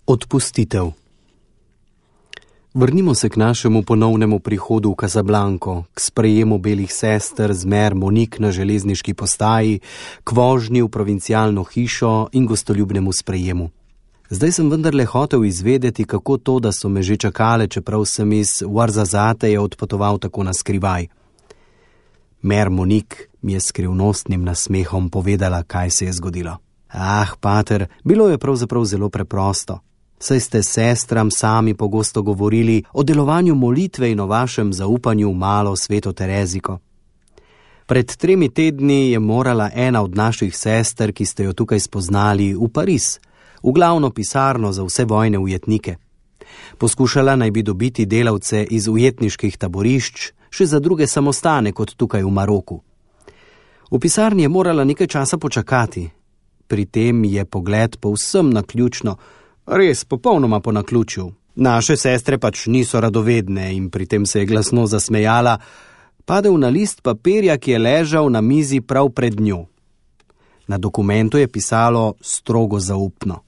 Odpustitev. Vrnimo se k našemu ponovnemu prihodu v Casablanco, k sprejemu belih sester z Mère Monique na železniški postaji, k vožnji v provincialno hišo in gostoljubnemu sprejemu. Zdaj sem vendarle hotel izvedeti, kako to, da so me že čakale, čeprav sem iz Ouarzazateja odpotoval tako na skrivaj. Mère Monique mi je skrivnostnim nasmehom povedala, kaj se je zgodilo. Pater, bilo je pravzaprav zelo preprosto. Saj ste sestram sami pogosto govorili o delovanju molitve in o vašem zaupanju v malo sveto Tereziko. Pred 3 tedni je morala ena od naših sester, ki ste jo tukaj spoznali, v Pariz, v glavno pisarno za vse vojne ujetnike. Poskušala naj bi dobiti delavce iz ujetniških taborišč, še za druge samostane kot tukaj v Maroku. V pisarni je morala nekaj časa počakati. Pri tem je pogled povsem naključno, res popolnoma po naključju. Naše sestre pač niso radovedne in pri tem se je glasno zasmejala, padel na list papirja, ki je ležal na mizi prav pred njo. Na dokumentu je pisalo strogo zaupno.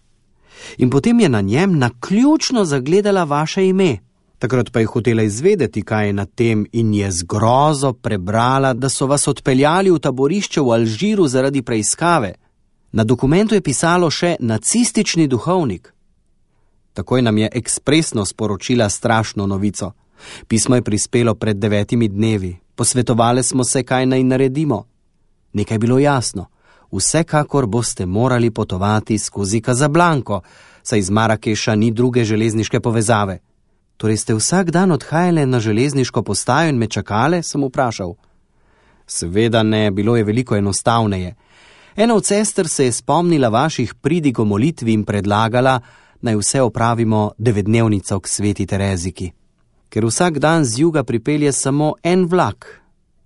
In potem je na njem naključno zagledala vaše ime. Takrat pa je hotela izvedeti, kaj je na tem, in je z grozo prebrala, da so vas odpeljali v taborišče v Alžiru zaradi preiskave. Na dokumentu je pisalo še nacistični duhovnik. Takoj nam je ekspresno sporočila strašno novico. Pismo je prispelo pred 9 dnevi. Posvetovali smo se, kaj naj naredimo. Nekaj je bilo jasno. Vsekakor boste morali potovati skozi Casablanco, saj iz Marakeša ni druge železniške povezave. Torej ste vsak dan odhajale na železniško postajo in me čakale, sem vprašal. Seveda ne, bilo je veliko enostavneje. Ena od sester se je spomnila vaših pridig o molitvi in predlagala, naj vse opravimo 9-dnevnico k sveti Tereziki. Ker vsak dan z juga pripelje samo en vlak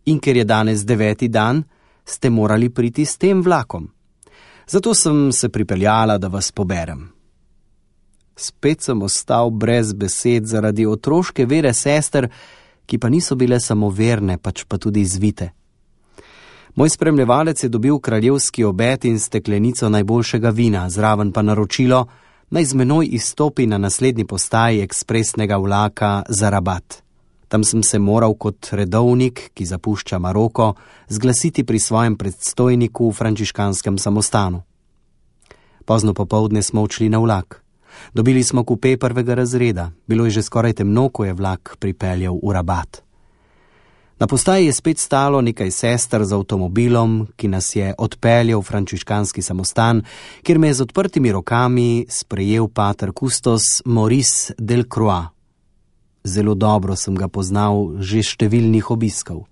in ker je danes 9. dan, ste morali priti s tem vlakom. Zato sem se pripeljala, da vas poberem. Spet sem ostal brez besed zaradi otroške vere sester, ki pa niso bile samo verne, pač pa tudi zvite. Moj spremljevalec je dobil kraljevski obed in steklenico najboljšega vina, zraven pa naročilo, naj z menoj izstopi na naslednji postaji ekspresnega vlaka za Rabat. Tam sem se moral kot redovnik, ki zapušča Maroko, zglasiti pri svojem predstojniku v frančiškanskem samostanu. Pozno popoldne smo odšli na vlak. Dobili smo kupe 1. razreda. Bilo je že skoraj temno, ko je vlak pripeljal v Rabat. Na postaji je spet stalo nekaj sester z avtomobilom, ki nas je odpeljal v frančiškanski samostan, kjer me je z odprtimi rokami sprejel pater kustos Maurice Delcroix. Zelo dobro sem ga poznal že številnih obiskov.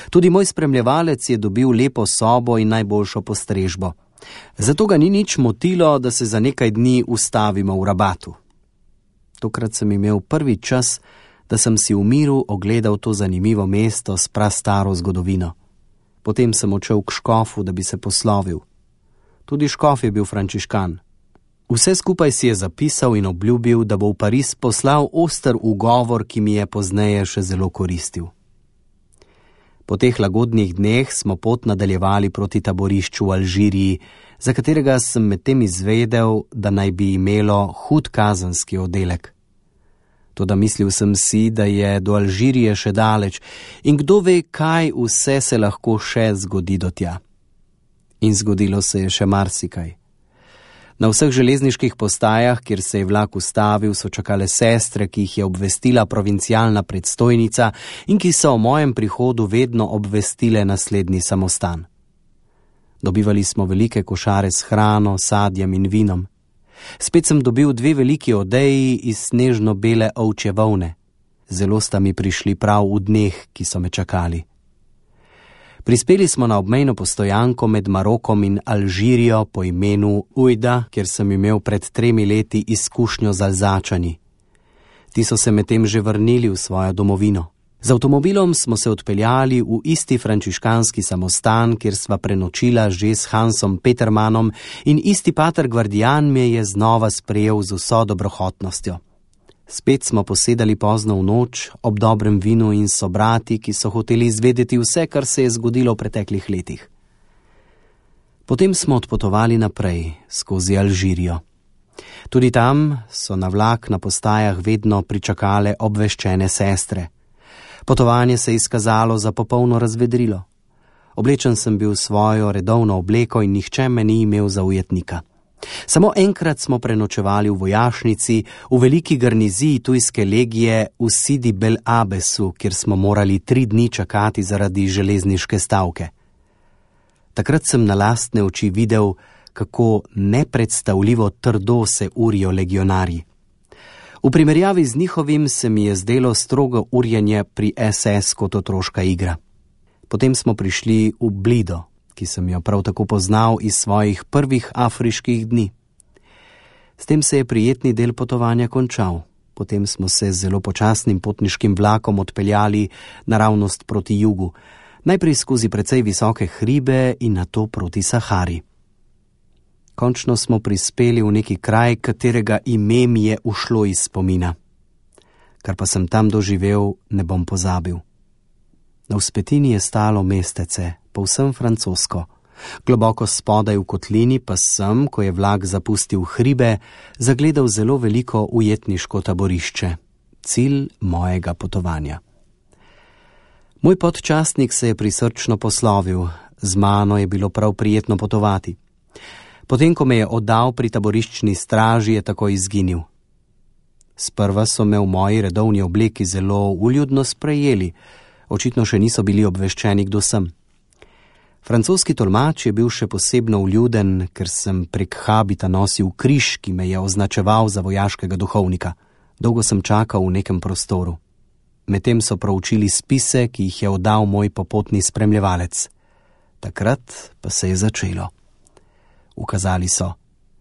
Tudi moj spremljevalec je dobil lepo sobo in najboljšo postrežbo. Zato ga ni nič motilo, da se za nekaj dni ustavimo v Rabatu. Tokrat sem imel prvi čas, da sem si v miru ogledal to zanimivo mesto s prastaro zgodovino. Potem sem odšel k škofu, da bi se poslovil. Tudi škof je bil frančiškan. Vse skupaj si je zapisal in obljubil, da bo v Pariz poslal oster ugovor, ki mi je pozneje še zelo koristil. Po teh lagodnih dneh smo pot nadaljevali proti taborišču v Alžiriji, za katerega sem medtem izvedel, da naj bi imelo hud kazenski oddelek. Toda mislil sem si, da je do Alžirije še daleč in kdo ve, kaj vse se lahko še zgodi do tja. In zgodilo se je še marsikaj. Na vseh železniških postajah, kjer se je vlak ustavil, so čakale sestre, ki jih je obvestila provincialna predstojnica in ki so o mojem prihodu vedno obvestile naslednji samostan. Dobivali smo velike košare s hrano, sadjem in vinom. Spet sem dobil 2 veliki odeji iz snežno-bele ovčje volne. Zelo sta mi prišli prav v dneh, ki so me čakali. Prispeli smo na obmejno postojanko med Marokom in Alžirijo po imenu Ujda, kjer sem imel pred 3 leti izkušnjo z Alzačani. Ti so se medtem že vrnili v svojo domovino. Z avtomobilom smo se odpeljali v isti frančiškanski samostan, kjer sva prenočila že s Hansom Petermanom in isti pater Gvardijan me je znova sprejel z vso dobrohotnostjo. Spet smo posedali pozno v noč, ob dobrem vinu in sobrati, ki so hoteli izvedeti vse, kar se je zgodilo v preteklih letih. Potem smo odpotovali naprej, skozi Alžirijo. Tudi tam so na vlak na postajah vedno pričakale obveščene sestre. Potovanje se je izkazalo za popolno razvedrilo. Oblečen sem bil svojo redovno obleko in nihče me ni imel za ujetnika. Samo enkrat smo prenočevali v vojašnici, v veliki garniziji tujske legije v Sidi Bel Abesu, kjer smo morali 3 dni čakati zaradi železniške stavke. Takrat sem na lastne oči videl, kako nepredstavljivo trdo se urijo legionarji. V primerjavi z njihovim se mi je zdelo strogo urjenje pri SS kot otroška igra. Potem smo prišli v Blido, ki sem jo prav tako poznal iz svojih prvih afriških dni. S tem se je prijetni del potovanja končal. Potem smo se z zelo počasnim potniškim vlakom odpeljali naravnost proti jugu, najprej skozi precej visoke hribe in nato proti Sahari. Končno smo prispeli v neki kraj, katerega ime mi je ušlo iz spomina. Kar pa sem tam doživel, ne bom pozabil. Na vzpetini je stalo mestece, povsem francosko. Globoko spodaj v kotlini pa sem, ko je vlak zapustil hribe, zagledal zelo veliko ujetniško taborišče. Cilj mojega potovanja. Moj podčastnik se je prisrčno poslovil. Z mano je bilo prav prijetno potovati. Potem, ko me je oddal pri taboriščni straži, je takoj izginil. Sprva so me v moji redovni obleki zelo uljudno sprejeli. Očitno še niso bili obveščeni, kdo sem. Francoski tolmač je bil še posebno uljuden, ker sem prek habita nosil križ, ki me je označeval za vojaškega duhovnika. Dolgo sem čakal v nekem prostoru. Medtem so proučili spise, ki jih je oddal moj popotni spremljevalec. Takrat pa se je začelo. Ukazali so: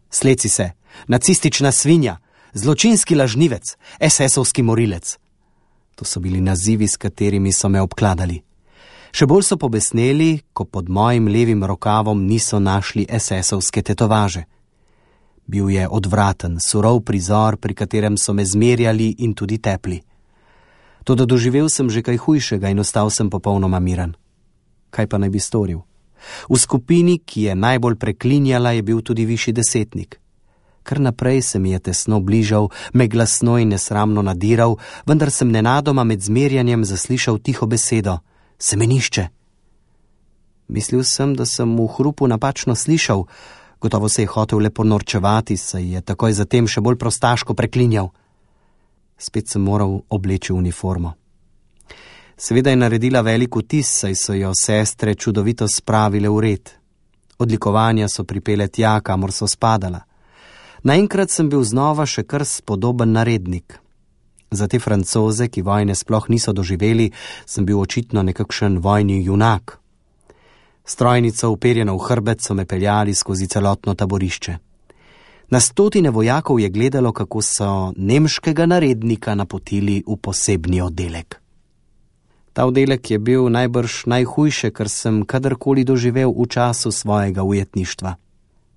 sleci se, nacistična svinja, zločinski lažnivec, SS-ovski morilec. To so bili nazivi, s katerimi so me obkladali. Še bolj so pobesneli, ko pod mojim levim rokavom niso našli SS-ovske tetovaže. Bil je odvraten, surov prizor, pri katerem so me zmerjali in tudi tepli. Toda doživel sem že kaj hujšega in ostal sem popolnoma miren. Kaj pa naj bi storil? V skupini, ki je najbolj preklinjala, je bil tudi višji desetnik. Kar naprej se mi je tesno bližal, me glasno in nesramno nadiral, vendar sem nenadoma med zmerjanjem zaslišal tiho besedo: semenišče. Mislil sem, da sem v hrupu napačno slišal. Gotovo se je hotel le ponorčevati, saj je takoj zatem še bolj prostaško preklinjal. Spet sem moral obleči uniformo. Seveda je naredila velik vtis, saj so jo sestre čudovito spravile v red. Odlikovanja so pripele tja, kamor so spadala. Naenkrat sem bil znova še kar spodoben narednik. Za te Francoze, ki vojne sploh niso doživeli, sem bil očitno nekakšen vojni junak. Strojnico uperjeno v hrbet so me peljali skozi celotno taborišče. Na stotine vojakov je gledalo, kako so nemškega narednika napotili v posebni oddelek. Ta oddelek je bil najbrž najhujše, kar sem kadarkoli doživel v času svojega ujetništva.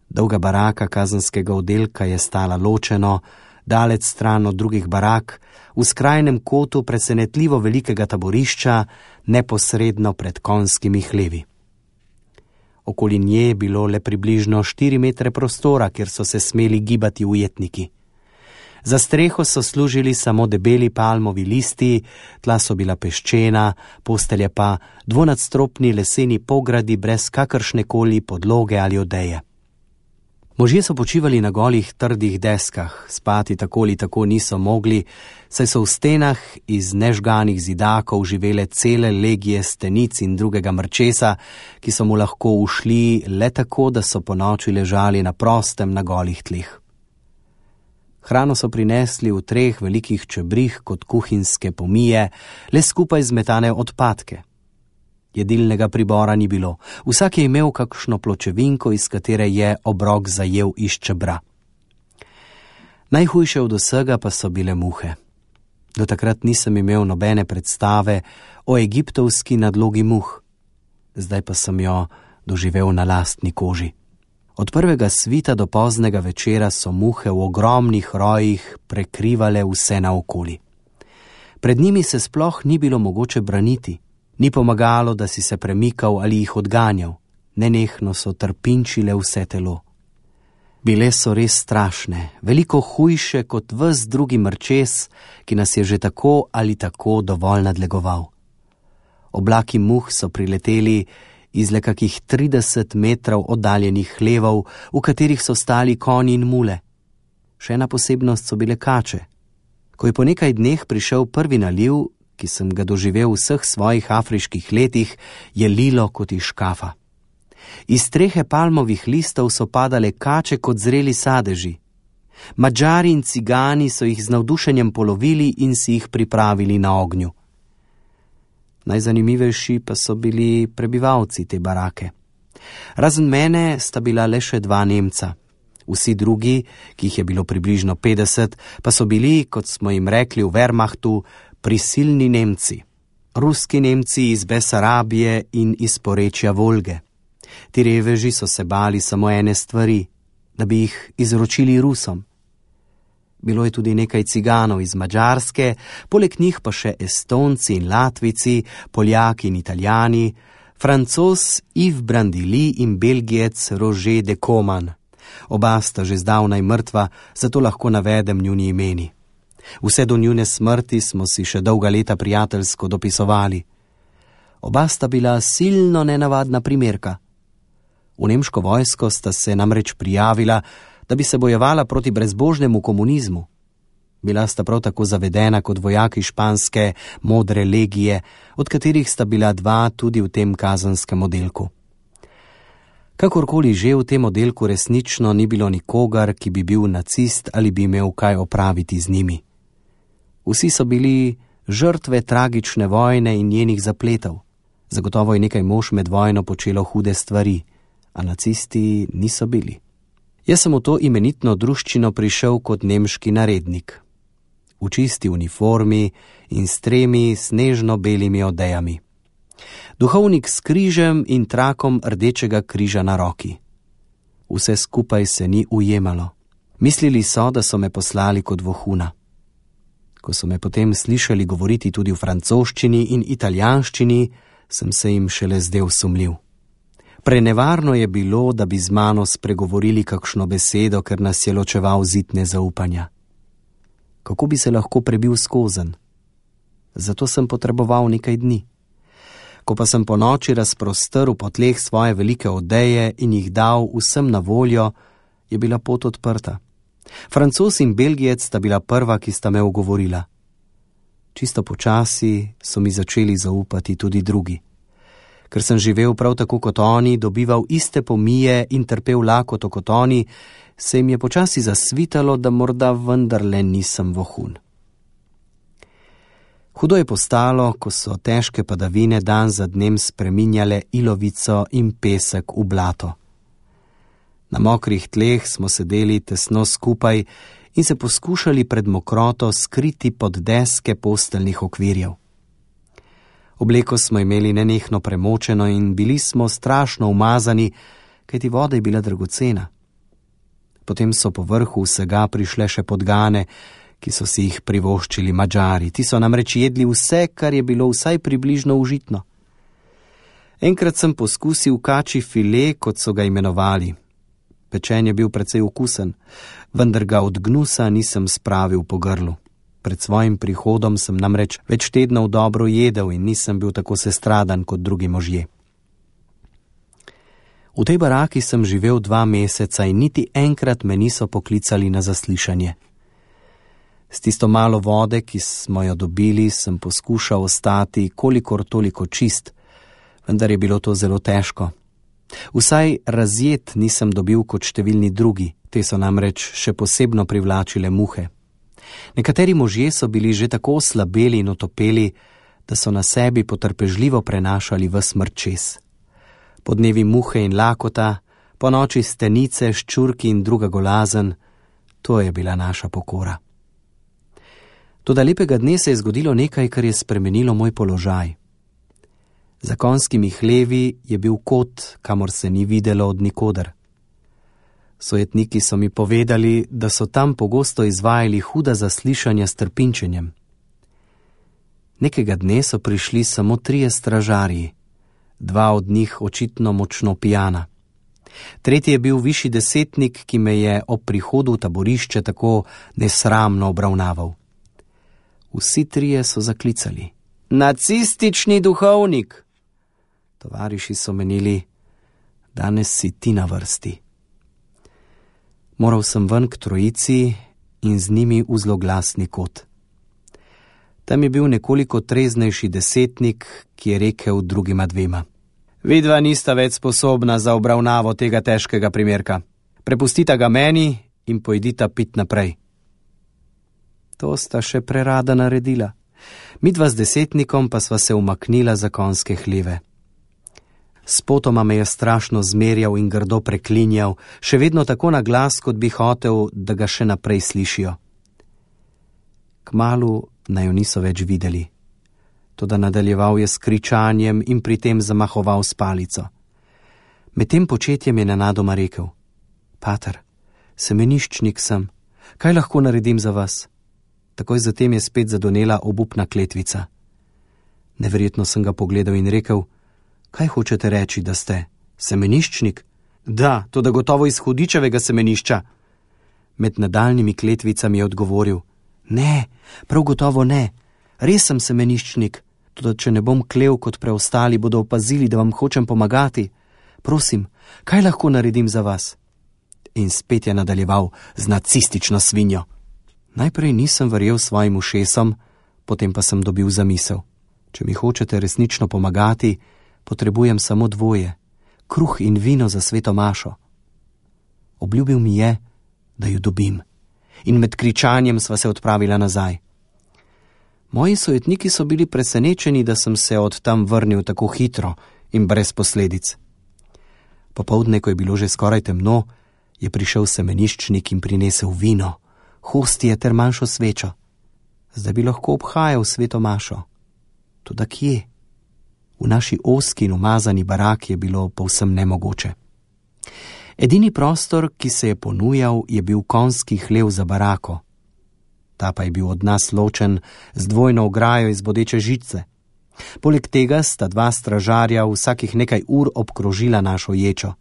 Dolga baraka kazenskega oddelka je stala ločeno, daleč stran od drugih barak, v skrajnem kotu presenetljivo velikega taborišča, neposredno pred konjskimi hlevi. Okoli nje je bilo le približno 4 metre prostora, kjer so se smeli gibati ujetniki. Za streho so služili samo debeli palmovi listi, tla so bila peščena, postelje pa dvonadstropni leseni pogradi brez kakršnekoli podloge ali odeje. Možje so počivali na golih trdih deskah, spati tako ali tako niso mogli, saj so v stenah iz nežganih zidakov živele cele legije stenic in drugega mrčesa, ki so mu lahko ušli le tako, da so ponoči ležali na prostem na golih tleh. Hrano so prinesli v 3 velikih čebrih kot kuhinjske pomije, le skupaj zmetane odpadke. Jedilnega pribora ni bilo, vsak je imel kakšno pločevinko, iz katere je obrok zajel iz čebra. Najhujše od vsega pa so bile muhe. Do takrat nisem imel nobene predstave o egiptovski nadlogi muh. Zdaj pa sem jo doživel na lastni koži. Od prvega svita do poznega večera so muhe v ogromnih rojih prekrivale vse naokoli. Pred njimi se sploh ni bilo mogoče braniti. Ni pomagalo, da si se premikal ali jih odganjal. Nenehno so trpinčile vse telo. Bile so res strašne, veliko hujše kot ves drugi mrčes, ki nas je že tako ali tako dovolj nadlegoval. Oblaki muh so prileteli iz le kakih 30 metrov oddaljenih hlevov, v katerih so stali konji in mule. Še ena posebnost so bile kače. Ko je po nekaj dneh prišel prvi naliv, ki sem ga doživel v vseh svojih afriških letih, je lilo kot iz škafa. Iz strehe palmovih listov so padale kače kot zreli sadeži. Madžari in cigani so jih z navdušenjem polovili in si jih pripravili na ognju. Najzanimivejši pa so bili prebivalci te barake. Razen mene sta bila le še 2 Nemca. Vsi drugi, ki jih je bilo približno 50, pa so bili, kot smo jim rekli v Wehrmachtu, prisilni Nemci. Ruski Nemci iz Besarabije in iz porečja Volge. Ti reveži so se bali samo ene stvari, da bi jih izročili Rusom. Bilo je tudi nekaj ciganov iz Madžarske, poleg njih pa še Estonci in Latvici, Poljaki in Italijani, Francoz Yves Brandili in Belgijec Roger de Coman. Oba sta že zdavnaj mrtva, zato lahko navedem njuni imeni. Vse do njune smrti smo si še dolga leta prijateljsko dopisovali. Oba sta bila silno nenavadna primerka. V nemško vojsko sta se namreč prijavila, da bi se bojevala proti brezbožnemu komunizmu. Bila sta prav tako zavedena kot vojaki španske modre legije, od katerih sta bila 2 tudi v tem kazenskem oddelku. Kakorkoli že, v tem oddelku resnično ni bilo nikogar, ki bi bil nacist ali bi imel kaj opraviti z njimi. Vsi so bili žrtve tragične vojne in njenih zapletov. Zagotovo je nekaj mož med vojno počelo hude stvari, a nacisti niso bili. Jaz sem v to imenitno druščino prišel kot nemški narednik. V čisti uniformi in s 3 snežno-belimi odejami. Duhovnik s križem in trakom rdečega križa na roki. Vse skupaj se ni ujemalo. Mislili so, da so me poslali kot vohuna. Ko so me potem slišali govoriti tudi v francoščini in italijanščini, sem se jim šele zdel sumljiv. Prenevarno je bilo, da bi z mano spregovorili kakšno besedo, ker nas je ločeval zid nezaupanja. Kako bi se lahko prebil skozenj? Zato sem potreboval nekaj dni. Ko pa sem po noči razprostrl po tleh svoje velike odeje in jih dal vsem na voljo, je bila pot odprta. Francoz in Belgijec sta bila prva, ki sta me ugovorila. Čisto počasi so mi začeli zaupati tudi drugi. Ker sem živel prav tako kot oni, dobival iste pomije in trpel lakoto kot oni, se jim je počasi zasvitalo, da morda vendarle nisem vohun. Hudo je postalo, ko so težke padavine dan za dnem spreminjale ilovico in pesek v blato. Na mokrih tleh smo sedeli tesno skupaj in se poskušali pred mokroto skriti pod deske posteljnih okvirjev. Obleko smo imeli nenehno premočeno in bili smo strašno umazani, kajti voda je bila dragocena. Potem so po vrhu vsega prišle še podgane, ki so si jih privoščili Madžari. Ti so namreč jedli vse, kar je bilo vsaj približno užitno. Enkrat sem poskusil kačji file, kot so ga imenovali. Pečen je bil precej okusen, vendar ga od gnusa nisem spravil po grlu. Pred svojim prihodom sem namreč več tednov dobro jedel in nisem bil tako sestradan kot drugi možje. V tej baraki sem živel 2 meseca in niti enkrat me niso poklicali na zaslišanje. S tisto malo vode, ki smo jo dobili, sem poskušal ostati kolikor toliko čist, vendar je bilo to zelo težko. Vsaj razjet nisem dobil kot številni drugi, te so namreč še posebno privlačile muhe. Nekateri možje so bili že tako oslabeli in otopeli, da so na sebi potrpežljivo prenašali ves mrčes. Po dnevi muhe in lakota, po noči stenice, ščurki in druga golazen, to je bila naša pokora. Toda lepega dne se je zgodilo nekaj, kar je spremenilo moj položaj. Za konjskimi hlevi je bil kot, kamor se ni videlo od nikoder. Sojetniki so mi povedali, da so tam pogosto izvajali huda zaslišanja s trpinčenjem. Nekega dne so prišli samo 3 stražarji, 2 od njih očitno močno pijana. Tretji je bil višji desetnik, ki me je ob prihodu v taborišče tako nesramno obravnaval. Vsi trije so zaklicali: Nacistični duhovnik! Tovariši so menili: danes si ti na vrsti. Moral sem ven k trojici in z njimi v zloglasni kot. Tam je bil nekoliko treznejši desetnik, ki je rekel drugima dvema: Vidva nista več sposobna za obravnavo tega težkega primerka. Prepustita ga meni in pojdita pit naprej. To sta še prerada naredila. Midva z desetnikom pa sva se umaknila za konjske hleve. Spotoma me je strašno zmerjal in grdo preklinjal, še vedno tako na glas, kot bi hotel, da ga še naprej slišijo. Kmalu naju niso več videli. Toda nadaljeval je s kričanjem in pri tem zamahoval s palico. Med tem početjem je nenadoma rekel: Pater, semeniščnik sem, kaj lahko naredim za vas? Takoj zatem je spet zadonela obupna kletvica. Neverjetno sem ga pogledal in rekel: Kaj hočete reči, da ste? Semeniščnik? Da, toda gotovo iz hudičevega semenišča. Med nadaljnjimi kletvicami je odgovoril: Ne, prav gotovo ne. Res sem semeniščnik, toda če ne bom klev kot preostali, bodo opazili, da vam hočem pomagati. Prosim, kaj lahko naredim za vas? In spet je nadaljeval z nacistično svinjo. Najprej nisem verjel svojim ušesom, potem pa sem dobil zamisel. Če mi hočete resnično pomagati, potrebujem samo dvoje: kruh in vino za sveto mašo. Obljubil mi je, da ju dobim, in med kričanjem sva se odpravila nazaj. Moji sojetniki so bili presenečeni, da sem se od tam vrnil tako hitro in brez posledic. Popoldne, ko je bilo že skoraj temno, je prišel semeniščnik in prinesel vino, hostije ter manjšo svečo. Zdaj bi lahko obhajal sveto mašo. Toda kje? V naši ozki in umazani baraki je bilo povsem nemogoče. Edini prostor, ki se je ponujal, je bil konjski hlev za barako. Ta pa je bil od nas ločen z dvojno ograjo iz bodeče žice. Poleg tega sta dva stražarja vsakih nekaj ur obkrožila našo ječo.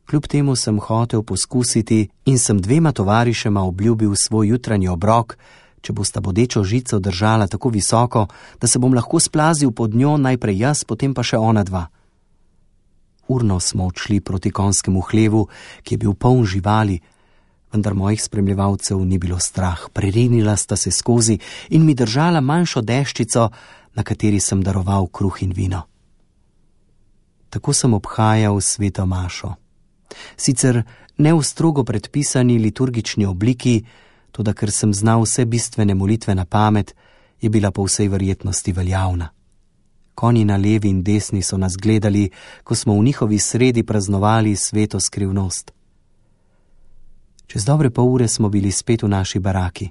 Kljub temu sem hotel poskusiti in sem dvema tovarišema obljubil svoj jutranji obrok, če bosta bodečo žico držala tako visoko, da se bom lahko splazil pod njo, najprej jaz, potem pa še ona dva. Urno smo odšli proti konjskemu hlevu, ki je bil poln živali, vendar mojih spremljevalcev ni bilo strah. Prerinila sta se skozi in mi držala manjšo deščico, na kateri sem daroval kruh in vino. Tako sem obhajal sveto mašo. Sicer ne v strogo predpisani liturgični obliki, toda ker sem znal vse bistvene molitve na pamet, je bila po vsej verjetnosti veljavna. Konji na levi in desni so nas gledali, ko smo v njihovi sredi praznovali sveto skrivnost. Čez dobre pol ure smo bili spet v naši baraki.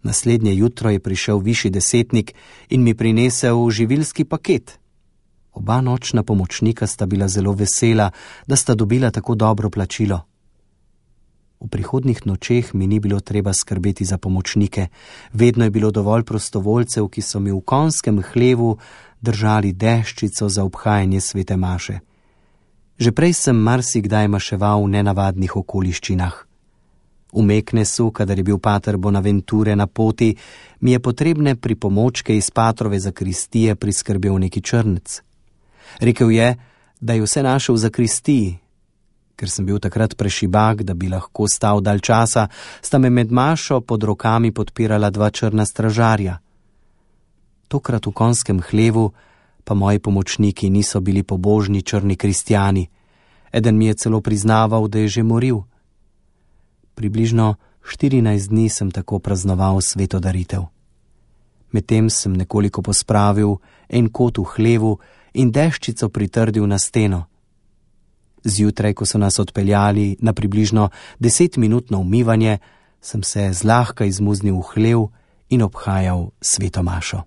Naslednje jutro je prišel višji desetnik in mi prinesel živilski paket. Oba nočna pomočnika sta bila zelo vesela, da sta dobila tako dobro plačilo. V prihodnjih nočeh mi ni bilo treba skrbeti za pomočnike. Vedno je bilo dovolj prostovoljcev, ki so mi v konjskem hlevu držali deščico za obhajanje svete maše. Že prej sem marsikdaj maševal v nenavadnih okoliščinah. V Meknesu, kadar je bil pater Bonaventure na poti, mi je potrebne pripomočke iz patrove zakristije priskrbel neki črnec. Rekel je, da je vse našel v zakristiji. Ker sem bil takrat prešibak, da bi lahko stal dalj časa, sta me med mašo pod rokami podpirala dva črna stražarja. Tokrat v konjskem hlevu pa moji pomočniki niso bili pobožni črni kristjani. Eden mi je celo priznaval, da je že moril. Približno 14 dni sem tako praznoval sveto daritev. Medtem sem nekoliko pospravil en kot v hlevu in deščico pritrdil na steno. Zjutraj, ko so nas odpeljali na približno 10-minutno umivanje, sem se zlahka izmuznil v hlev in obhajal sveto mašo.